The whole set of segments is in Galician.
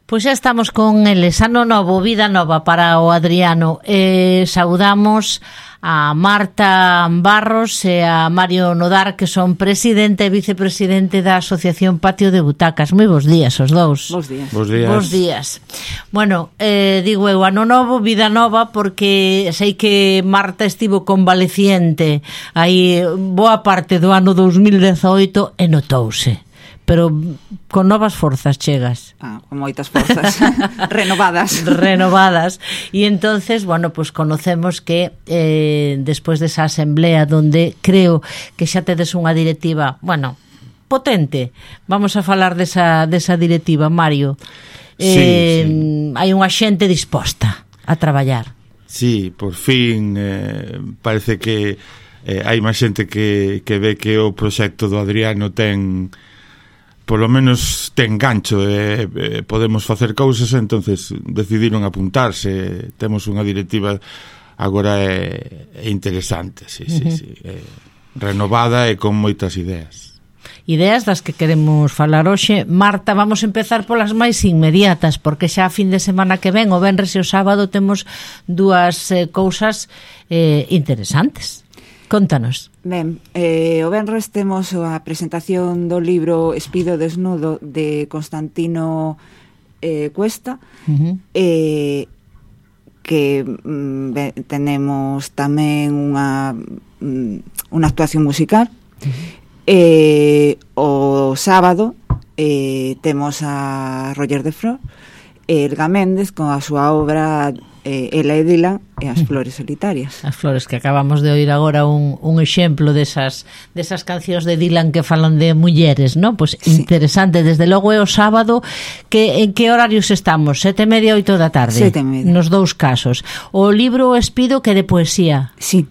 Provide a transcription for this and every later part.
Pois xa estamos con eles, ano novo, vida nova para o Adriano. Saudamos a Marta Barros e a Mario Nodar, que son presidente e vicepresidente da Asociación Patio de Butacas. Moi bons días os dous. Bos días. Bos días. Bueno, digo eu, ano novo, vida nova, porque sei que Marta estivo convaleciente aí boa parte do ano 2018 e notouse. Pero con novas forzas chegas. Con moitas forzas renovadas. E entonces, bueno, pues conocemos que despois desa asamblea donde creo que xa tedes unha directiva, bueno, potente. Vamos a falar desa directiva, Mario. Sí. Hai unha xente disposta a traballar. Sí, por fin parece que hai máis xente que ve que o proxecto do Adriano ten, polo menos ten gancho, podemos facer cousas, entonces decidiron apuntarse. Temos unha directiva agora interesante, sí. Renovada e con moitas ideas das que queremos falar hoxe. Marta, vamos empezar polas máis inmediatas, porque xa a fin de semana que ven, o venres e o sábado, temos dúas cousas interesantes. Contanos. Ben, o venres temos a presentación do libro Espido desnudo de Constantino Cuesta, que tenemos tamén unha actuación musical. O sábado temos a Roger de Flor e Elga Méndez con a súa obra Ela e Dylan e as flores solitarias. As flores, que acabamos de oír agora un exemplo desas cancións de Dylan que falan de mulleres, ¿no? Pues sí. Interesante, desde logo é o sábado. En que horarios estamos? 7:30, 8 da tarde? 7:30. Nos dous casos. O libro Espido, que de poesía? Sí.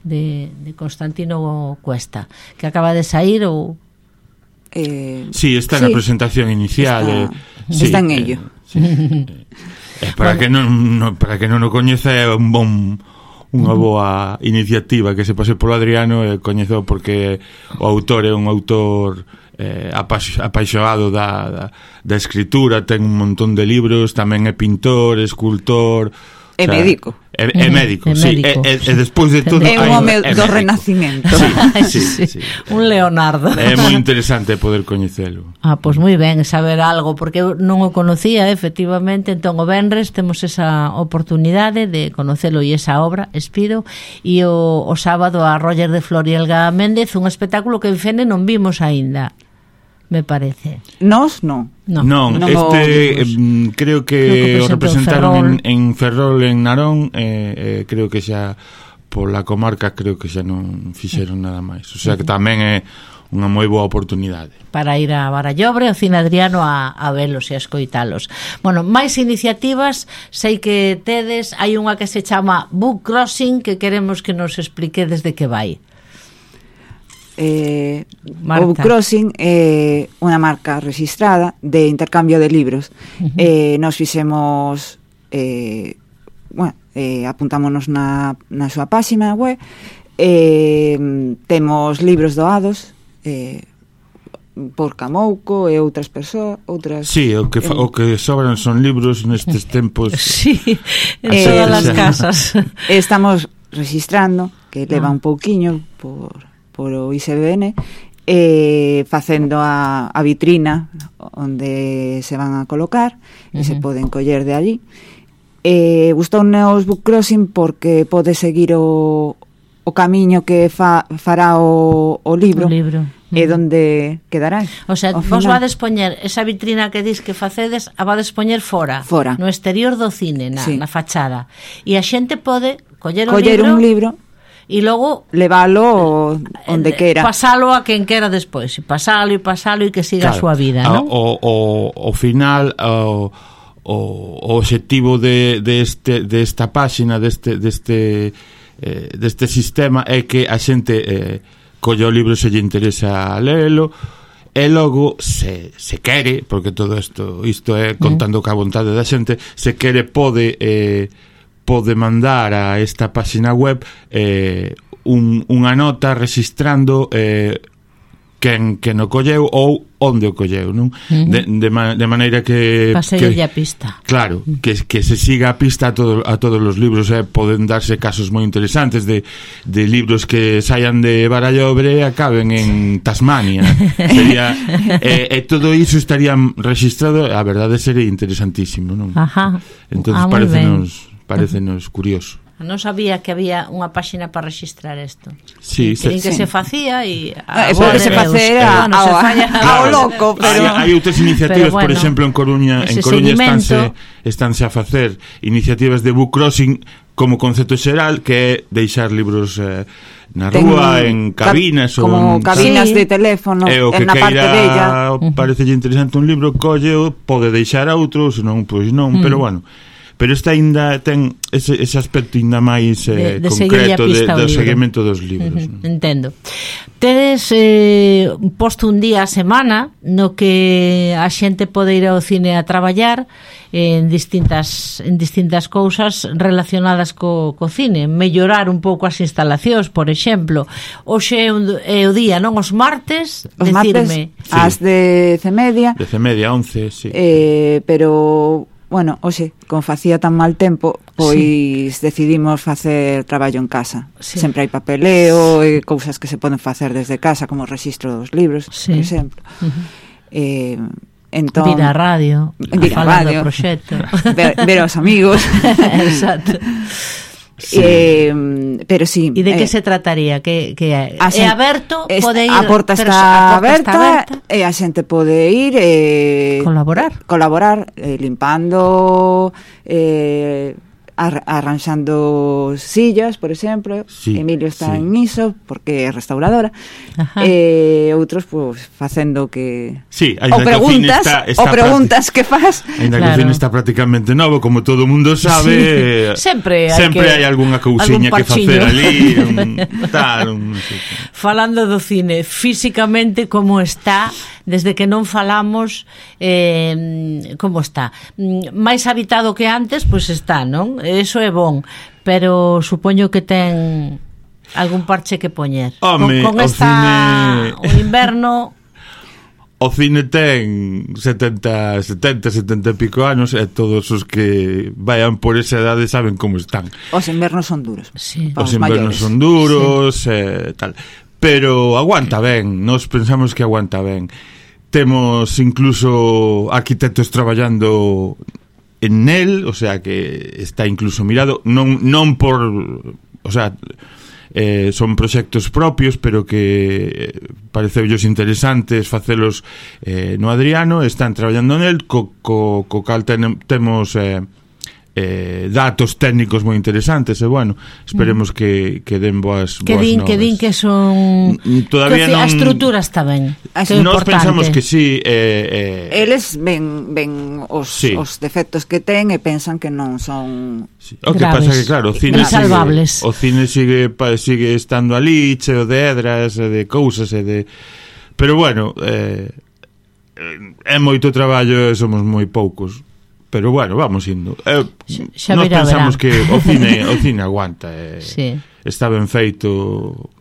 De Constantino Cuesta, que acaba de sair ou... Sí, está na presentación inicial. Está en ello. Para que non o coñeza, é unha boa iniciativa que se pase polo Adriano, coñezo porque o autor é un autor apaixonado da escritura, ten un montón de libros, tamén é pintor, escultor, é médico. É médico, sí. E despois de todo é un home do Renacimento. Sí. Un Leonardo. É moi interesante poder coñecelo. Pois moi ben, saber algo, porque eu non o conocía, efectivamente. Entón o venres temos esa oportunidade de conocelo e esa obra, Espido, e o sábado a Roger de Flor e Elga Méndez, un espectáculo que en Fene non vimos aínda, me parece. Nos non. Non, creo que o representaron en Ferrol, en Narón, creo que xa pola comarca creo que xa non fixeron nada máis. O sea que tamén é unha moi boa oportunidade para ir a Barallobre, ao Cine Adriano, a velos e a escoitalos. Bueno, máis iniciativas sei que tedes. Hai unha que se chama Book Crossing, que queremos que nos expliquedes de que vai. O Book Crossing é unha marca registrada de intercambio de libros. Nos fixemos apuntámonos na súa páxina web. Temos libros doados por Camouco e outras persoas, Sí, o que sobran son libros nestes tempos. Sí, en todas as casas. Estamos registrando, que leva un pouquiño por o ISBN, facendo a vitrina onde se van a colocar e se poden coller de allí. Gustoume os Book Crossing porque pode seguir o camiño que fará o libro e onde quedará. O sea, vos vades poñer esa vitrina que dis que facedes, a vades poñer fora, no exterior do cine, na fachada, e a xente pode coller un libro e logo leválo onde quera, pasalo a quen quera despois, pasalo e que siga a súa vida, non? O final, o obxectivo desta páxina, deste sistema, é que a xente colle o libro se lle interesa lelo, e logo se quere, porque todo isto é contando ca vontade da xente, se quere pode mandar a esta páxina web unha nota registrando quen o colleu ou onde o colleu, non? De maneira que paseille a pista. Claro, que se siga a pista a todos os libros, poden darse casos moi interesantes de libros que saian de Barallobre e acaben en Tasmania. Sería todo iso estaría registrado, a verdade sería interesantísimo, non? Ajá. Entonces parecenos curioso. Non sabía que había unha páxina para registrar isto. Sí, que se facía e pode se facer ao loco, pero hai outras iniciativas, por exemplo, en Coruña estánse a facer iniciativas de book crossing como concepto xeral, que é deixar libros na rúa, en cabinas como cabinas de teléfono, en na parte della. Parecelle interesante un libro, colleo, pode deixar a outro, senón, pois non, pero bueno. Pero esta ainda ten ese aspecto ainda máis concreto do seguimento dos libros. Entendo. Tedes posto un día a semana no que a xente pode ir ao cine a traballar en distintas cousas relacionadas co cine, mellorar un pouco as instalacións, por exemplo. Hoxe é o día, non? Os martes, decirme. Ás 10:30. 10:30, 11, sí. Pero bueno, hoxe, como facía tan mal tempo, pois decidimos facer traballo en casa. Sempre hai papeleo e cousas que se poden facer desde casa, como o rexistro dos libros, por exemplo. Entón, vir a radio, falar do proxecto, ver aos amigos. Exacto. Sí. Pero sí. E de que se trataría? Que é aberto, pode ir, a porta está aberta e a xente pode ir colaborar limpando, arranxando sillas, por exemplo. Sí, Emilio está en iso porque é restauradora. Outros pues facendo que preguntas que faz. Ainda que o cine está prácticamente novo, como todo o mundo sabe. Sempre hai algunha cousiña que facer ali, Falando do cine, físicamente como está, desde que non falamos, como está? Máis habitado que antes, pois está, non? Eso é bon, pero supoño que ten algún parche que poñer. Con esta o inverno. O cine ten 70 e pico anos e todos os que vayan por esa edade saben como están. Os invernos son duros. Sí. Os invernos son duros, tal. Pero aguanta ben, nos pensamos que aguanta ben. Temos incluso arquitectos traballando en él, o sea que está incluso mirado, non por, o sea, son proxectos propios, pero que pareceullos interesantes facelos no Adriano, están traballando en él, co cal temos datos técnicos moi interesantes e bueno, esperemos que den boas novas. Que din que son todavía a estrutura está ben. Nós pensamos que sí, eles ven os defectos que ten e pensan que non son o que pasa que claro, o cine sigue estando ali cheo de hedras e de cousas pero bueno, é moito traballo e somos moi poucos. Pero bueno, vamos indo. Nós pensamos que o cine aguanta. Está ben feito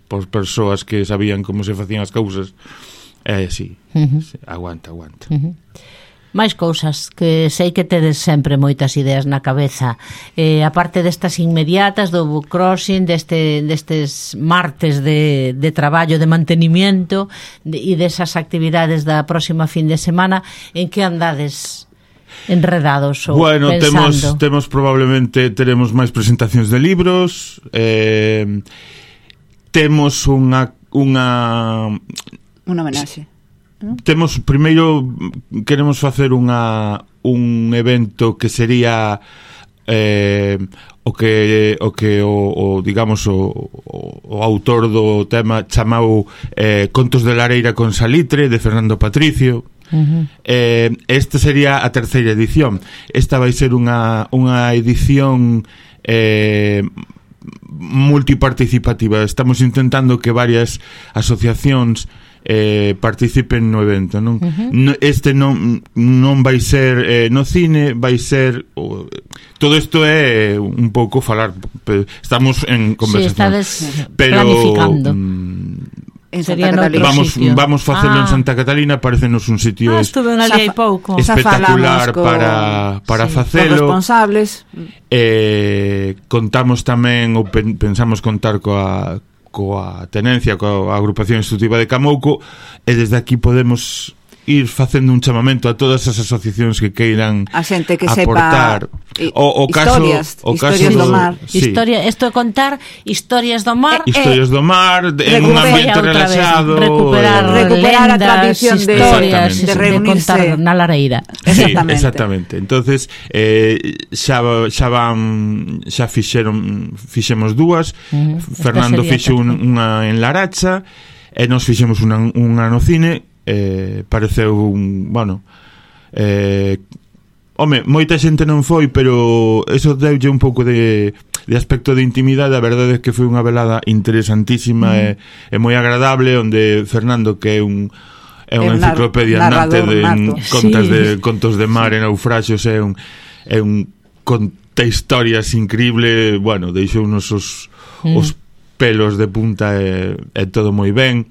por persoas que sabían como se facían as cousas. Sí, aguanta. máis cousas, que sei que tedes sempre moitas ideas na cabeza, a parte destas inmediatas do book crossing, destes martes de traballo, de mantenimiento e desas actividades da próxima fin de semana, en que andades enredados ou bueno, pensando? Temos probablemente teremos máis presentacións de libros, temos unha homenaxe. Temos, primeiro queremos facer un evento que sería digamos o autor do tema chamado Contos de Lareira con Salitre, de Fernando Patricio. Esta sería a terceira edición. Esta vai ser unha edición multiparticipativa. Estamos intentando que varias asociacións participen no evento, non? Este non vai ser no cine, vai ser todo isto é un pouco falar, estamos en conversación, estades planificando. En Sería Santa Catalina. Vamos facelo en Santa Catalina, parecenos un sitio estuve ali hai pouco. espectacular para facelo. Os responsables. Contamos tamén, ou pensamos contar coa tenencia, coa agrupación instructiva de Camouco, e desde aquí podemos ir facendo un chamamento a todas as asociacións que queiran a xente que aportar historias do mar. Sí. Isto é contar historias do mar, historias do mar en un ambiente relaxado, recuperar a tradición de reunirse, de contar na lareira. Exactamente. Entonces xa fixemos dúas. Fernando fixo unha en Laracha e nos fixemos unha no cine. Pareceu moita xente non foi, pero eso deulle un pouco de aspecto de intimidade. A verdade é que foi unha velada interesantísima e moi agradable, onde Fernando, que é unha enciclopedia andante de contos de mar e naufraxios, é un conta historias increíble. Deixou unos os pelos de punta e todo moi ben.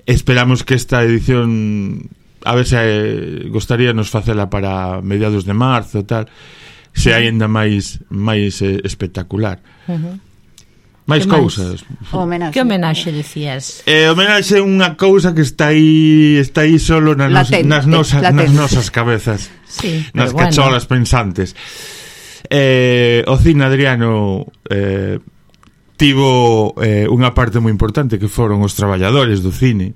Esperamos que esta edición, a ver se gostaríanos facela para mediados de marzo, tal, se aínda máis espectacular. Máis cousas. Que homenaxe decías? Homenaxe é unha cousa que está aí solo nas nosas cabezas, nas cacholas pensantes. O cine, Adriano, tivo unha parte moi importante, que foron os traballadores do cine,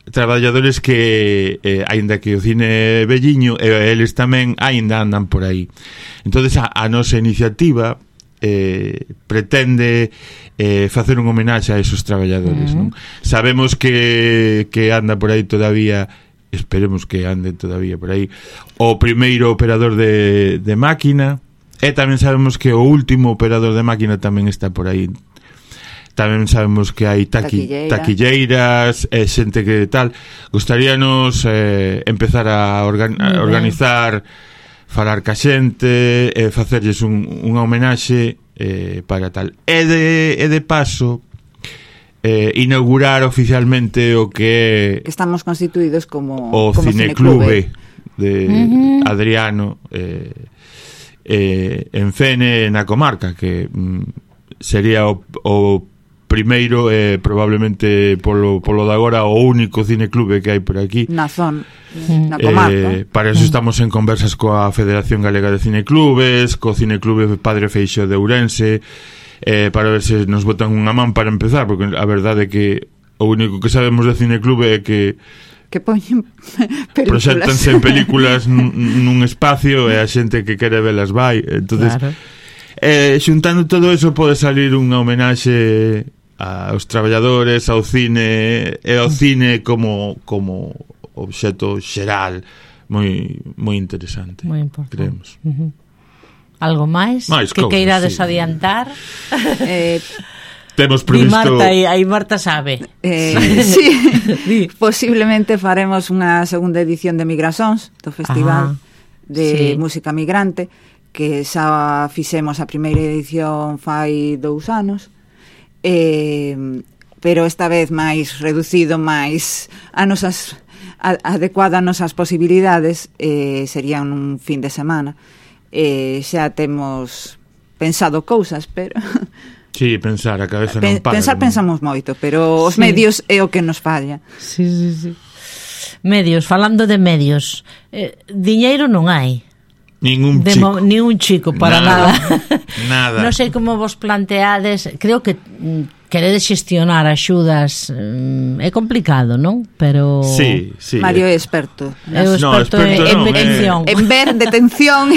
traballadores que aínda que o cine é velliño, eles tamén aínda andan por aí. Entonces a nosa iniciativa pretende facer un homenaxe a esos traballadores, non? Sabemos que anda por aí todavía, esperemos que ande todavía por aí, o primeiro operador de máquina. E tamén sabemos que o último operador de máquina tamén está por aí. Tamén sabemos que hai taquilleiras, xente que tal. Gostaríanos empezar a organizar, falar ca xente, facerlles unha homenaxe para tal. E de paso inaugurar oficialmente o que estamos constituídos como Cineclube de Adriano, en Fene, na comarca, que sería o primeiro e probablemente polo de agora o único cineclube que hai por aquí na zona, na comarca. Para eso estamos en conversas coa Federación Galega de Cineclubes, co Cineclube Padre Feixóo de Ourense, para ver se nos botan unha man para empezar, porque a verdade é que o único que sabemos de cineclube é que poñen películas, proxéctanse en películas nun espacio e a xente que quere velas vai. Entonces, xuntando todo eso, pode salir unha homenaxe aos traballadores, ao cine e ao cine como obxecto xeral moi interesante, moi importante, creemos. Algo máis que queirades adiantar? Temos previsto... Marta sabe. Sí, posiblemente faremos unha segunda edición de Migrasóns, do Festival de Música Migrante, que xa fixemos a primeira edición fai 2 anos, pero esta vez máis reducido, máis adecuado a nosas posibilidades, sería un fin de semana. Xa temos pensado cousas, pero... Sí, pensar, a cabeza non para. Pensamos moito, pero os medios é o que nos falla. Sí. Medios, falando de medios, diñeiro non hai. Ningún chico para nada. Non sei como vos planteades, creo que queredes xestionar axudas, é complicado, non? Pero sí. Mario é experto. Experto en detención. En ver detención.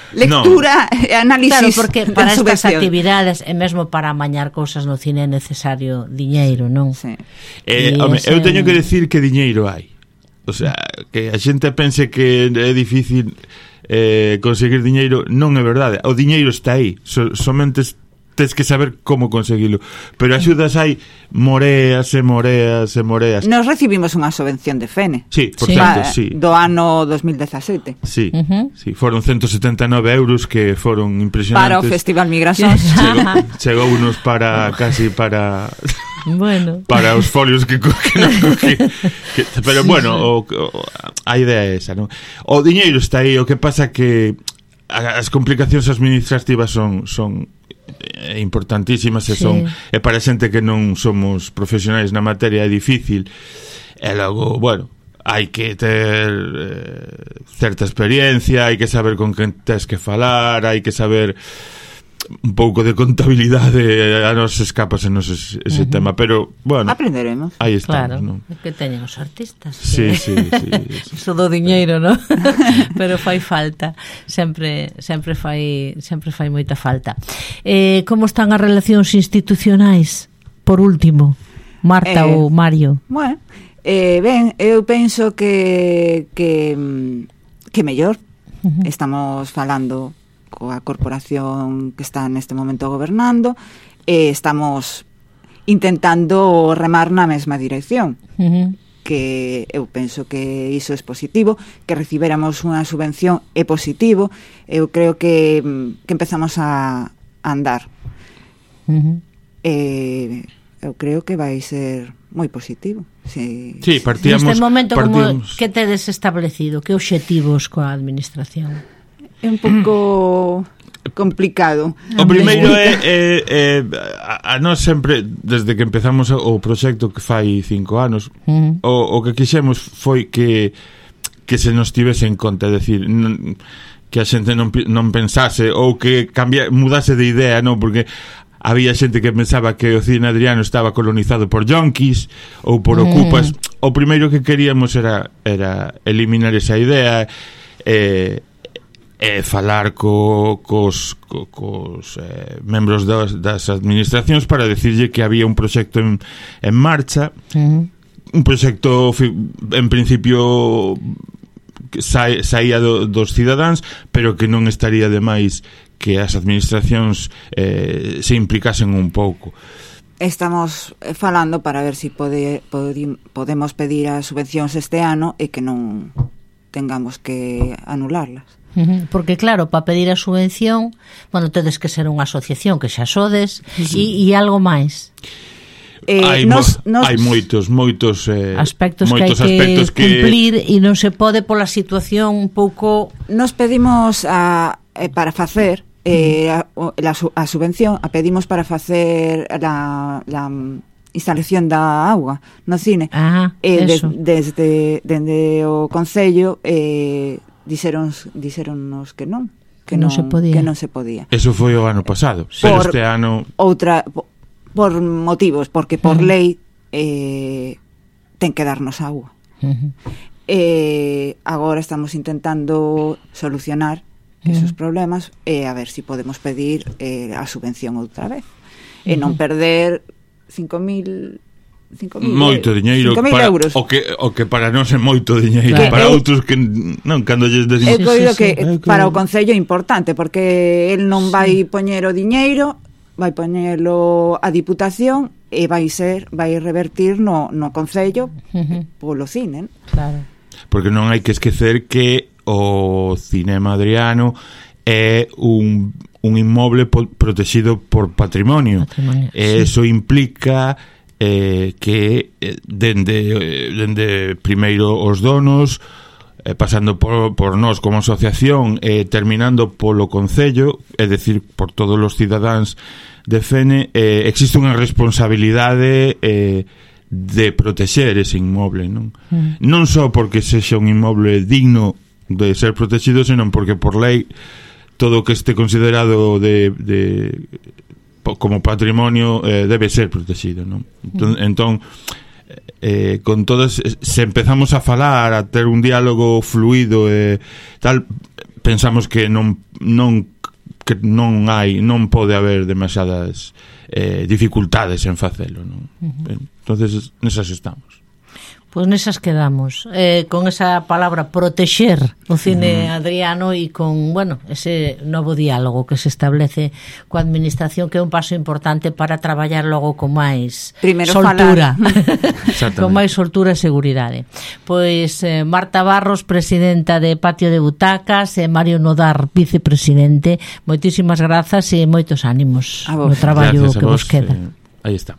Lectura e análisis. Claro, porque para estas actividades e mesmo para amañar cousas no cine é necesario diñeiro, non? Sí. Eu teño que decir que diñeiro hai. O sea, que a xente pense que é difícil conseguir diñeiro, non é verdade. O diñeiro está aí, somente tes que saber como conseguilo. Pero axudas hai moreas e moreas e moreas. Nos recibimos unha subvención de Fene. Sí, por certo, sí. Do ano 2017. Sí, sí, foron 179 euros que foron impresionantes. Para o Festival Migrasóns. Chegou unos para casi para Bueno. Para os folios que non cogí. Pero bueno, a idea é esa, non? O diñeiro está aí, o que pasa que as complicacións administrativas son importantísimas e para xente que non somos profesionais na materia é difícil. E logo, bueno, hai que ter certa experiencia, hai que saber con quen tes que falar, hai que saber un pouco de contabilidade, a nos escapas en ese tema, pero bueno, aprenderemos. Aí estamos, claro, non? Que teñen os artistas. Sí. Iso do diñeiro, non? Pero fai falta, sempre fai moita falta. Como están as relacións institucionais? Por último, Marta ou Mario? Bueno, ben, eu penso que mellor. Estamos falando coa corporación que está neste momento gobernando e estamos intentando remar na mesma dirección, que eu penso que iso é positivo, que recibéramos unha subvención é positivo. Eu creo que empezamos a andar. Eu creo que vai ser moi positivo. Sí, partíamos. Neste momento, que tedes establecido? Que obxectivos coa administración? É un pouco complicado. O primeiro é a nós sempre, desde que empezamos o proxecto que fai 5 anos, o que quixemos foi que se nos tivese en conta, é dicir, que a xente non pensase ou que mudase de idea, non, porque había xente que pensaba que o cine adriano estaba colonizado por yonkis ou por ocupas. O primeiro que queríamos era eliminar esa idea falar cos membros das administracións para decirlle que había un proxecto en marcha, un proxecto en principio que saía dos cidadáns, pero que non estaría de máis que as administracións se implicasen un pouco. Estamos falando para ver se podemos pedir as subvencións este ano e que non tengamos que anularlas. Porque claro, para pedir a subvención, bueno, tedes que ser unha asociación que xa sodes e algo máis. Hai moitos aspectos que hai que cumplir e non se pode pola situación un pouco. Nos pedimos para facer a subvención, a pedimos para facer la instalación da auga no cine. Desde o Concello dixéronnos que non se podía. Eso foi o ano pasado, pero este ano por motivos, porque por lei ten que darnos agua. Agora estamos intentando solucionar esos problemas e a ver se podemos pedir a subvención outra vez e non perder 5.000 moito diñeiro para euros. O que para nós é moito diñeiro, para outros que non, cando lles decimos. Eu coido que para o Concello é importante, porque el non vai poñer o diñeiro, vai poñelo a Diputación e vai revertir no Concello polo cine. Claro. Porque non hai que esquecer que o cinema adriano é un inmoble protegido por patrimonio. E iso implica que dende primeiro os donos, pasando por nós como asociación, terminando polo Concello, é dicir, por todos os cidadáns de Fene, existe unha responsabilidade de protexer ese inmoble, non? Non só porque sexa un inmoble digno de ser protegido, senón porque por lei todo o que este considerado como patrimonio debe ser protegido, non? Entón con todas, se empezamos a falar, a ter un diálogo fluido e tal, pensamos que non pode haber demasiadas dificultades en facelo, non? Entonces nesas estamos. Pois nesas quedamos, con esa palabra protexer o cine adriano e con, bueno, ese novo diálogo que se establece coa administración, que é un paso importante para traballar logo con máis soltura con máis soltura e seguridade. Pois Marta Barros, presidenta de Patio de Butacas, e Mario Nodar, vicepresidente, moitísimas grazas e moitos ánimos no traballo que vos queda. Aí está.